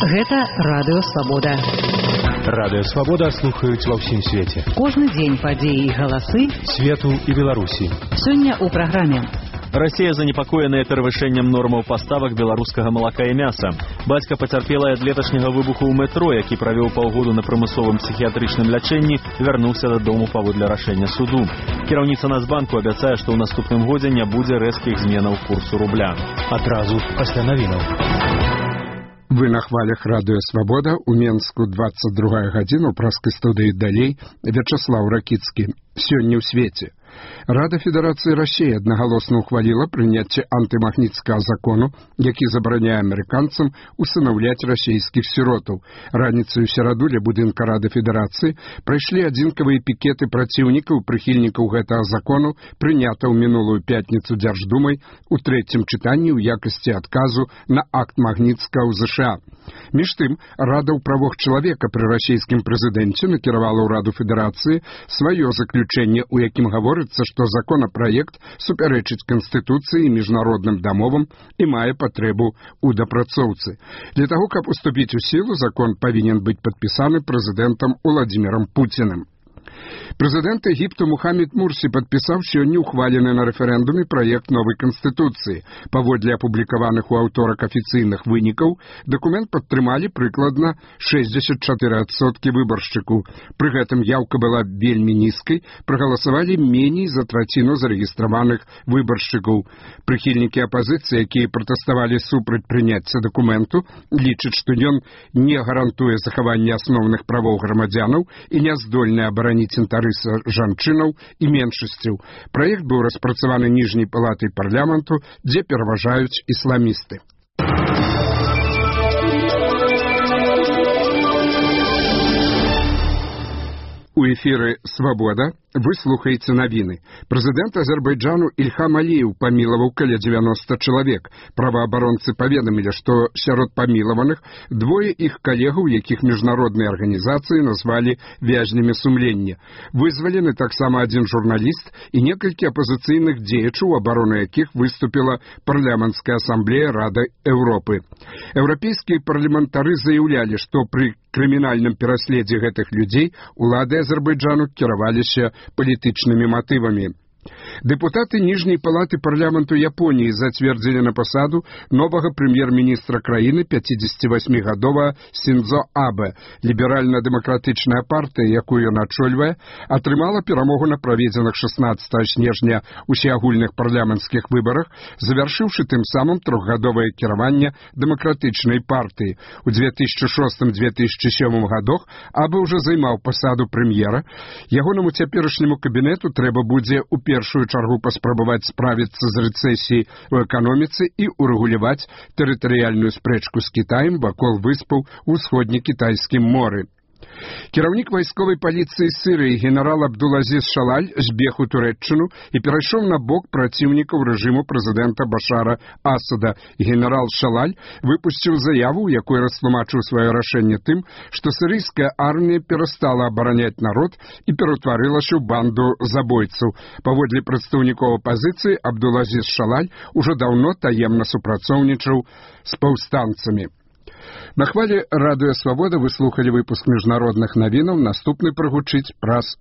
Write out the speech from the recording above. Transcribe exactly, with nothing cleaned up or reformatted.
Гэта Радыё Свабода. Радыё Свабода слухаюць ва ўсім свеце. Кожны дзень падзеі і галасы свету і Беларусі. Сёння ў праграме. Расія занепакоеная перавышэннем нормаў паставак беларускага малака і мяса. Бацька пацярпелай ад леташняга выбуху ў метро, які правёў паўгоду на прымусовым псіхіятрычным лячэнні, вярнуўся дадому паводле рашэння суду. Кіраўніца Нацбанку абяцае, што ў наступным годзе не будзе рэзкіх зменаў курсу рубля. Адразу пасля навінаў. Вы на хвалях Радыё Свабода, у Менску двадцать другая гадзіна, у праскай студыі далей Вячаслаў Ракіцкі. Сёння ў свеце. Рада Федэрацыі Расіі аднагалосна ухваліла прыняцце антымагніцкага закону, які забараняе амерыканцам усынаўляць расійскіх сіротаў. Раніцай у сераду ля будынка Рады Федэрацыі прайшлі адзінкавыя пікеты праціўнікаў, прыхільнікаў гэтага закону, прынята ў мінулую пятніцу Дзярждумай у трэцім чытанні ў якасці адказу на акт Магніцкага ў ЗША. Між тым, Рада ў правах чалавека пры расійскім прэзідэнце накіравала ў Раду Федэрацыі сваё заключэнне, у якім гаворыцца, што законапраект супярэчыць Канстытуцыі і міжнародным дамовам і мае патрэбу ў дапрацоўцы. Для таго, каб уступіць у сілу, закон павінен быць падпісаны прэзідэнтам Уладзімірам Пуцінам. Прэзідэнт Егіпту Мухаммед Мурсі падпісаў сёння ухвалены на рэферэндуме праект новай канстытуцыі. Паводле апублікаваных у аўторак афіцыйных вынікаў, дакумент падтрымалі прыкладна шэсцьдзесят чатыры адсоткі выбаршчыкаў. Пры гэтым яўка была вельмі нізкай, прагаласавалі меней за траціну зарэгістраваных выбаршчыкаў. Прыхільнікі апазіцыі, якія пратэставалі супраць прыняцця дакументу, лічаць, што ён не гарантуе захаванне асноўных правоў грамадзянаў і не здольны абараніць інтарэсы жанчынаў і меншасцяў. Праект быў распрацаваны ніжняй палатай парламенту, дзе пераважаюць ісламісты. У эфіры «Свабода» вы слухаеце навіны. Прэзідэнт Азербайджану Ільхам Аліеў памілаваў каля дзевяноста чалавек. Праваабаронцы паведамілі, што сярод памілаваных двое іх калегаў, якіх міжнародныя арганізацыі назвалі вязнямі сумлення. Вызвалены таксама адзін журналіст і некалькі апазіцыйных дзеячаў, абароны якіх выступіла парламенцкая асамблея Рады Еўропы. Еўрапейскія парламентары заяўлялі, што пры крымінальным пераследзе гэтых людзей улады Азербайджану кіраваліся палітычнымі матывамі. Дэпутаты ніжняй палаты парламенту Японіі зацвердзілі на пасаду новага прэм'ер-міністра краіны пяцідзесяцівасьмігадовага Сіндзо Абэ. Ліберальна-дэмакратычная партыя, якую ён ачольвае, атрымала перамогу на праведзеных шаснаццатага снежня усеагульных парламенцкіх выбарах, завяршыўшы тым самым трохгадовае кіраванне дэмакратычнай партыі. У дзве тысячы шостым — дзве тысячы сёмым гадах Абэ ўжо займаў пасаду прэм'ера. Ягонаму цяперашняму кабінету трэба будзе у першую чаргу паспрабаваць справіцца з рэцэсіяй у эканоміцы і урэгуляваць тэрытарыяльную спрэчку з Кітаем вакол выспаў у ўсходне-кітайскім моры. Кіраўнік вайсковай паліцыі Сірыі генерал Абдулазіз Шалаль збег у Турэччыну і перайшоў на бок праціўнікаў рэжыму прэзідэнта Башара Асада. Генерал Шалаль выпусціў заяву, у якой растлумачыў сваё рашэнне тым, што сірыйская армія перастала абараняць народ і ператварылася ў банду забойцаў. Паводле прадстаўнікоў апазіцыі, Абдулазіз Шалаль ужо даўно таемна супрацоўнічаў з паўстанцамі. На хвале Радыё Свабода вы слухалі выпуск міжнародных навінаў, наступны прагучыць праз